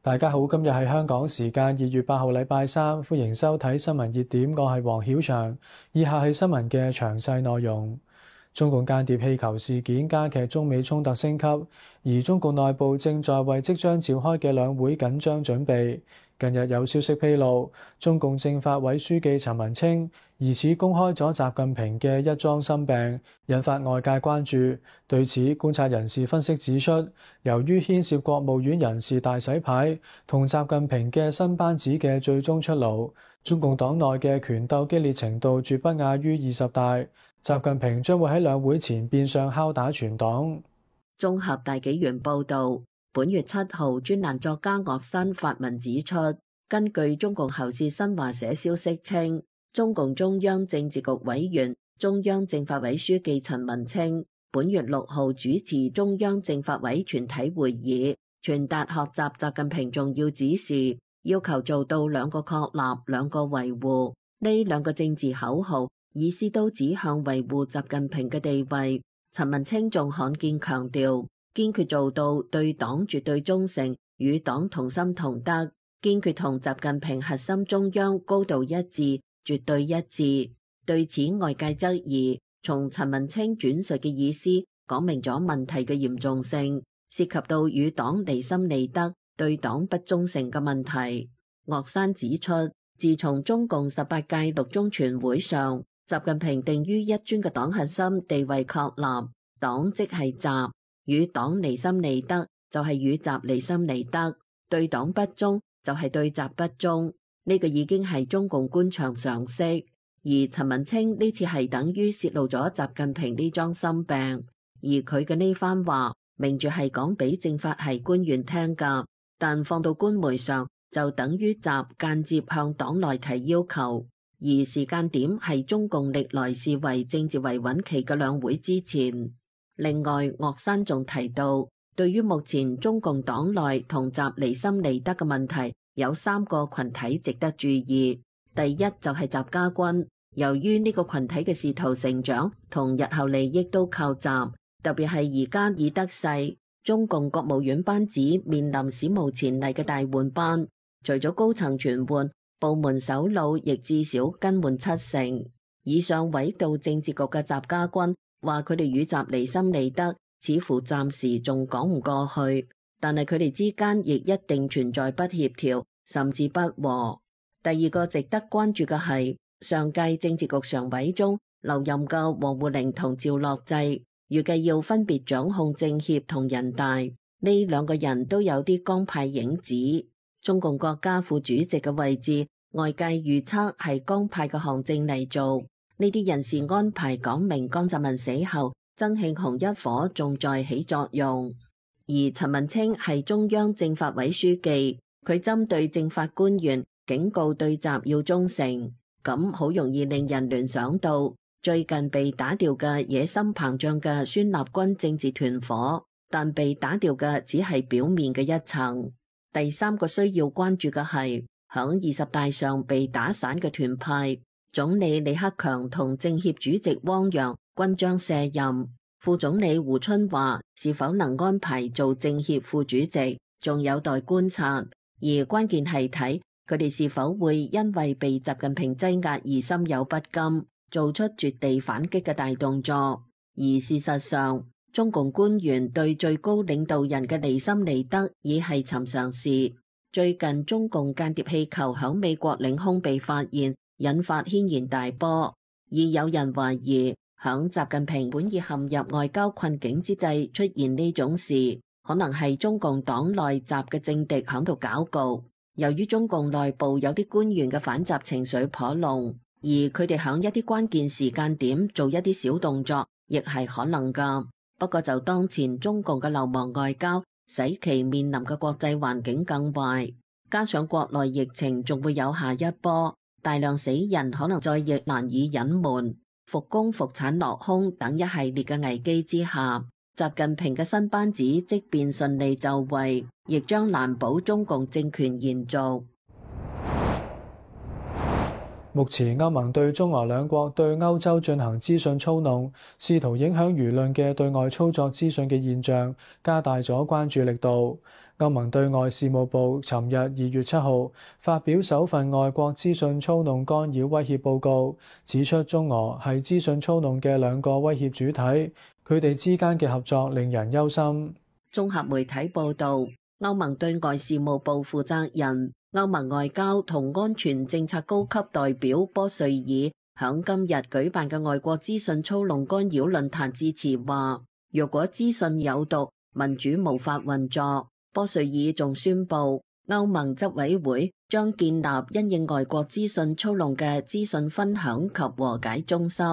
大家好，今日係香港時間2月8號，禮拜三，歡迎收睇新聞熱點，我係黃曉翔。以下係新聞嘅詳細內容。中共間諜氣球事件加劇中美衝突升級，而中共內部正在為即將召開嘅兩會緊張準備。近日有消息披露，中共政法委書記陳文清疑似公開咗習近平嘅一樁心病，引發外界關注。對此，觀察人士分析指出，由於牽涉國務院人事大洗牌同習近平嘅新班子嘅最終出爐，中共黨內嘅權鬥激烈程度絕不亞於20大。習近平將會喺兩會前變相敲打全黨。綜合大紀元報導，本月7號，專欄作家岳山發文指出，根據中共喉舌新華社消息稱，中共中央政治局委員、中央政法委書記陳文清本月6號主持中央政法委全體會議，傳達學習習近平重要指示，要求做到兩個確立、兩個維護。呢兩個政治口號意思都指向維護習近平嘅地位。陳文清仲罕見強調，堅決做到對黨絕對忠誠，與黨同心同德，堅決同習近平核心中央高度一致、絕對一致。對此，外界質疑，從陳文清轉述嘅意思，講明咗問題嘅嚴重性，涉及到與黨離心離德、對黨不忠誠嘅問題。岳山指出，自從中共18屆六中全會上，習近平定於一尊嘅黨核心地位確立，黨即係習，與黨離心離德就係與習離心離德，對黨不忠就係對習不忠，呢個已經係中共官場常識。而陳文清呢次係等於泄露咗習近平呢樁心病，而佢嘅呢番話明住係講俾政法系官員聽㗎，但放到官媒上就等於習間接向黨內提要求。而時間點係中共歷來視為政治維穩期嘅兩會之前。另外，岳山仲提到，對於目前中共黨內同習離心離德嘅問題，有3個群體值得注意。第一就係習家軍，由於呢個群體嘅仕途成長同日後利益都靠習，特別係而家已得勢，中共國務院班子面臨史無前例嘅大換班，除咗高層全換，部門首腦亦至少更換70%。以上委到政治局嘅習家軍話佢哋與習離心離德，似乎暫時仲講唔過去，但係佢哋之間亦一定存在不協調，甚至不和。第二個值得關注嘅係上屆政治局常委中留任嘅王滬寧同趙樂際，預計要分別掌控政協同人大，呢兩個人都有啲江派影子。中共國家副主席嘅位置，外界預測係江派嘅韓正嚟做。呢啲人事安排講明江澤民死後，曾慶紅一伙仲在起作用。而陳文清係中央政法委書記，佢針對政法官員警告對習要忠誠，咁好容易令人聯想到最近被打掉嘅野心膨脹嘅孫立軍政治團伙，但被打掉嘅只係表面嘅一層。第三個需要關注嘅係響20大上被打散嘅團派，總理李克強同政協主席汪洋均將卸任，副總理胡春華是否能安排做政協副主席，仲有待觀察。而關鍵係睇佢哋是否會因為被習近平擠壓而心有不甘，做出絕地反擊嘅大動作。而事實上，中共官員對最高領導人嘅離心離德已係尋常事。最近中共間諜氣球響美國領空被發現，引發軒然大波。而有人懷疑，響習近平本已陷入外交困境之際出現呢種事，可能係中共黨內習嘅政敵響度搞局。由於中共內部有啲官員嘅反習情緒頗濃，而佢哋響一啲關鍵時間點做一啲小動作，亦係可能㗎。不過就當前中共嘅流亡外交，使其面臨嘅國際環境更壞，加上國內疫情仲會有下一波，大量死人可能再亦難以隱瞞，復工復產落空等一系列嘅危機之下，習近平嘅新班子即便順利就位，亦將難保中共政權延續。目前歐盟對中俄兩國對歐洲進行資訊操弄，試圖影響輿論嘅對外操作資訊嘅現象，加大咗關注力度。歐盟對外事務部尋日2月7號發表首份外國資訊操弄干擾威脅報告，指出中俄係資訊操弄嘅兩個威脅主體，佢哋之間嘅合作令人憂心。綜合媒體報導，歐盟對外事務部負責人、歐盟外交同安全政策高級代表波瑞爾響今日舉辦嘅外國資訊操弄干擾論壇致辭話，若果資訊有毒，民主無法運作。波瑞爾仲宣布，歐盟執委會將建立因應外國資訊操弄嘅資訊分享及和解中心。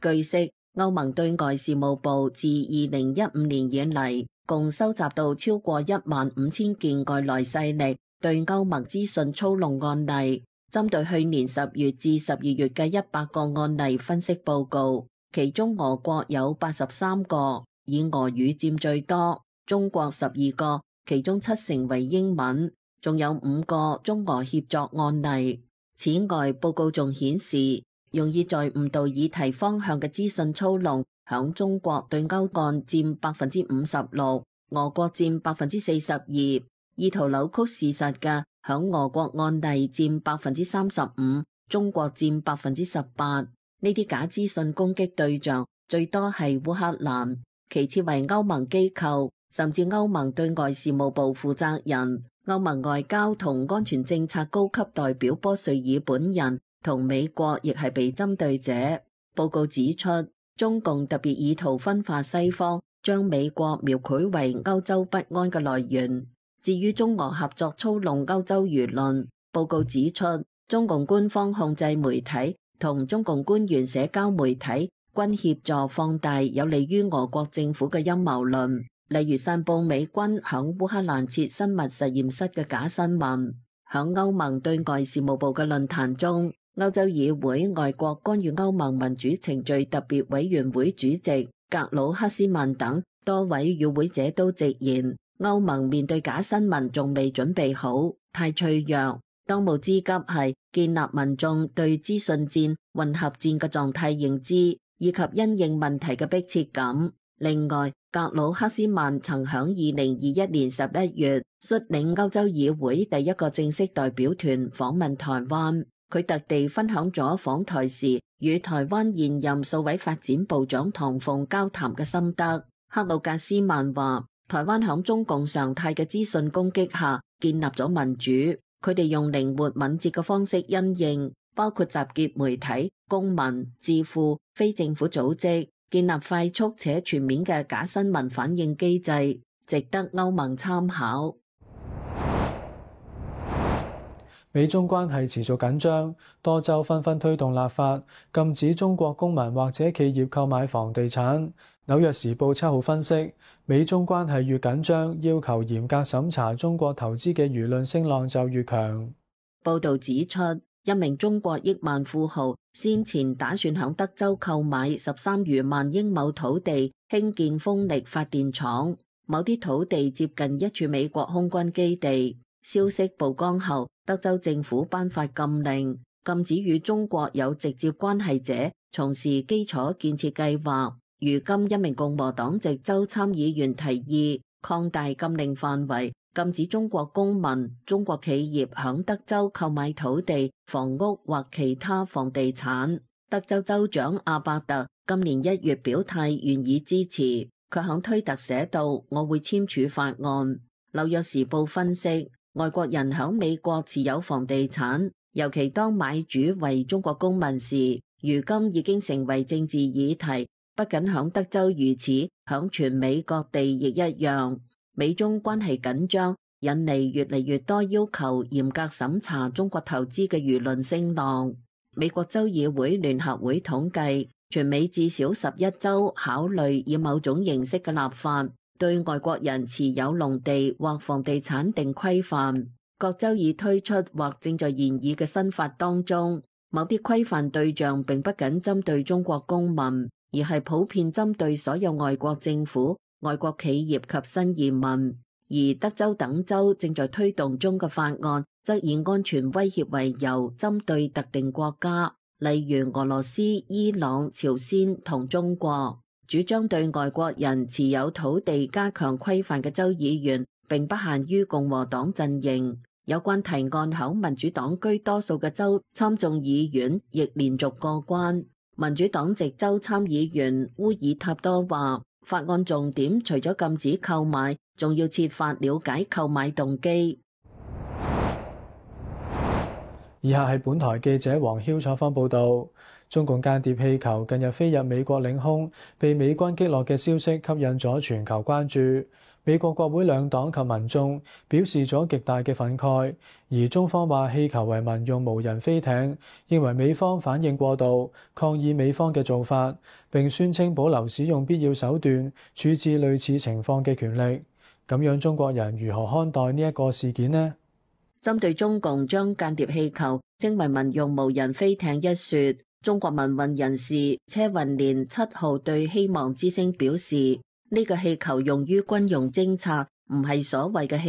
據悉，歐盟對外事務部自2015年以嚟，共收集到超過15000件外來勢力對歐盟資訊操弄案例。針對去年10月至12月嘅100個案例分析報告，其中俄國有83個，以俄語佔最多；中國12個，其中7成為英文，仲有5個中俄協作案例。此外，報告仲顯示，容易在誤導議題方向嘅資訊操弄，響中國對歐案佔56%，俄國佔42%，意圖扭曲事實嘅響俄國案例佔35%，中國佔18%。呢啲假資訊攻擊對象最多係烏克蘭，其次為歐盟機構，甚至歐盟對外事務部負責人、歐盟外交同安全政策高級代表波瑞爾本人同美國亦係被針對者。報告指出，中共特別意圖分化西方，將美國描繪為歐洲不安嘅來源。至於中俄合作操弄歐洲輿論，報告指出，中共官方控制媒體同中共官員社交媒體均協助放大有利於俄國政府嘅陰謀論，例如散佈美軍響烏克蘭設生物實驗室嘅假新聞。響歐盟對外事務部嘅論壇中，歐洲議會外國干預歐盟民主程序特別委員會主席格魯克斯曼等多位與會者都直言，歐盟面對假新聞仲未準備好，太脆弱。當務之急係建立民眾對資訊戰、混合戰嘅狀態認知，以及因應問題嘅迫切感。另外，格魯克斯曼曾響2021年11月率領歐洲議會第一個正式代表團訪問台灣，佢特地分享咗訪台時與台灣現任數位發展部長唐鳳交談嘅心得。克魯格斯曼話，台灣響中共常態嘅資訊攻擊下建立咗民主，佢哋用靈活敏捷嘅方式因應，包括集結媒體、公民、智庫、非政府組織，建立快速且全面嘅假新聞反應機制，值得歐盟參考。美中關係持續緊張，多州紛紛推動立法，禁止中國公民或者企業購買房地產。紐約時報7號分析，美中關係越緊張，要求嚴格審查中國投資嘅輿論聲浪就越強。報導指出，一名中國億萬富豪先前打算響德州購買13餘萬英畝土地興建風力發電廠，某啲土地接近一處美國空軍基地。消息曝光後，德州政府頒發禁令，禁止與中國有直接關係者從事基礎建設計劃。如今一名共和黨籍州參議員提議擴大禁令範圍，禁止中國公民、中國企業響德州購買土地、房屋或其他房地產。德州州長阿伯特今年1月表態願意支持，卻響推特寫道：我會簽署法案。紐約時報分析，外國人響美國持有房地產，尤其當買主為中國公民時，如今已經成為政治議題。不僅響德州如此，響全美各地亦一樣。美中關係緊張，引嚟越嚟越多要求嚴格審查中國投資嘅輿論聲浪。美國州議會聯合會統計，全美至少11州考慮以某種形式嘅立法，對外國人持有農地或房地產定規範。各州已推出或正在研議嘅新法當中，某啲規範對象並不僅針對中國公民，而係普遍針對所有外國政府、外國企業及新移民。而德州等州正在推動中嘅法案，則以安全威脅為由，針對特定國家，例如俄羅斯、伊朗、朝鮮同中國。主張對外國人持有土地加強規範嘅州議員並不限於共和黨陣營。有關提案響民主黨居多數嘅州參眾議院亦連續過關。民主黨籍州參議員烏爾塔多話，法案重點除咗禁止購買，仲要設法了解購買動機。以下係本台記者黃曉採訪報導。中共間諜氣球近日飛入美國領空，被美軍擊落嘅消息吸引咗全球關注。美國國會兩黨及民眾表示咗極大嘅憤慨，而中方話氣球為民用無人飛艇，認為美方反應過度，抗議美方嘅做法，並宣稱保留使用必要手段處置類似情況嘅權力。咁樣中國人如何看待呢一個事件呢？針對中共將間諜氣球稱為民用無人飛艇一說，中國民運人士車雲連7號對希望之聲表示，呢個氣球用於軍用偵察，唔係所謂嘅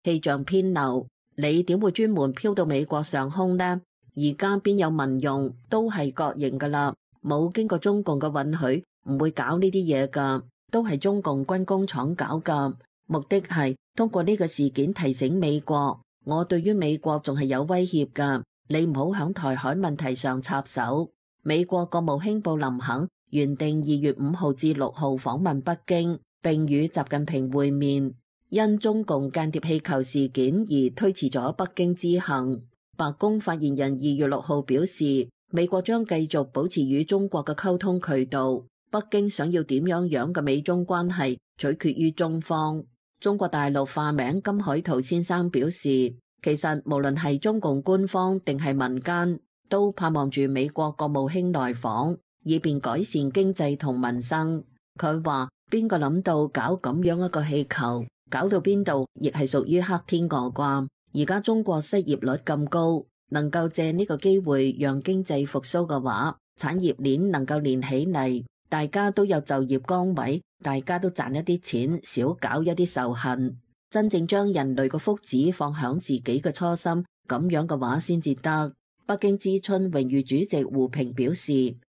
氣象偏流。你點會專門飄到美國上空呢？而家邊有民用，都係國營噶啦，冇經過中共嘅允許，唔會搞呢啲嘢噶，都係中共軍工廠搞噶。目的係通過呢個事件提醒美國，我對於美國仲係有威脅噶。你唔好響台海問題上插手。美國國務卿布林肯原定2月5號至6號訪問北京，並與習近平會面，因中共間諜氣球事件而推遲咗北京之行。白宮發言人2月6號表示，美國將繼續保持與中國嘅溝通渠道。北京想要點樣嘅美中關係，取決於中方。中國大陸化名金海圖先生表示，其實無論係中共官方定係民間，都盼望住美國國務卿來訪，以便改善經濟同民生。佢話邊個諗到搞咁樣一個氣球，搞到邊度亦係屬於黑天鵝啩。而家中國失業率咁高，能夠借呢個機會讓經濟復甦嘅話，產業鏈能夠連起嚟，大家都有就業崗位，大家都賺一啲錢，少搞一啲仇恨。真正將人類嘅福祉放響自己嘅初心，咁樣嘅話先至得。北京之春榮譽主席胡平表示，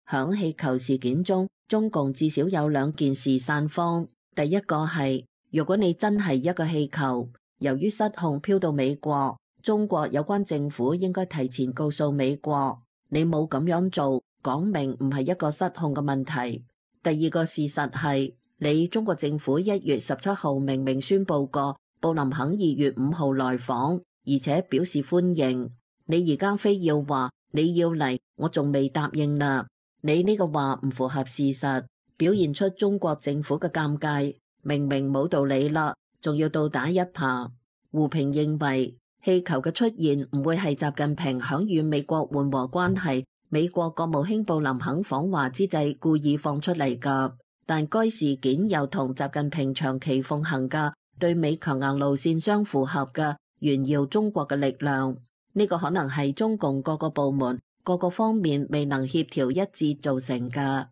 響氣球事件中，中共至少有2件事散慌。第一個係，如果你真係一個氣球，由於失控飄到美國，中國有關政府應該提前告訴美國，你冇咁樣做，講明唔係一個失控嘅問題。第二個事實係，你中國政府1月17號明明宣布過，布林肯2月5號來訪，而且表示歡迎。你而家非要話你要嚟，我仲未答應啦。你呢個話唔符合事實，表現出中國政府嘅尷尬。明明冇道理啦，仲要倒打一耙。胡平認為氣球嘅出現唔會係習近平響與美國緩和關係、美國國務卿布林肯訪華之際故意放出嚟㗎，但該事件又同習近平長期奉行嘅對美強硬路線相符合嘅炫耀中國嘅力量。呢個可能係中共各個部門各個方面未能協調一致造成㗎。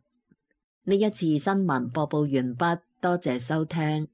呢一次新聞播報完畢，多謝收聽。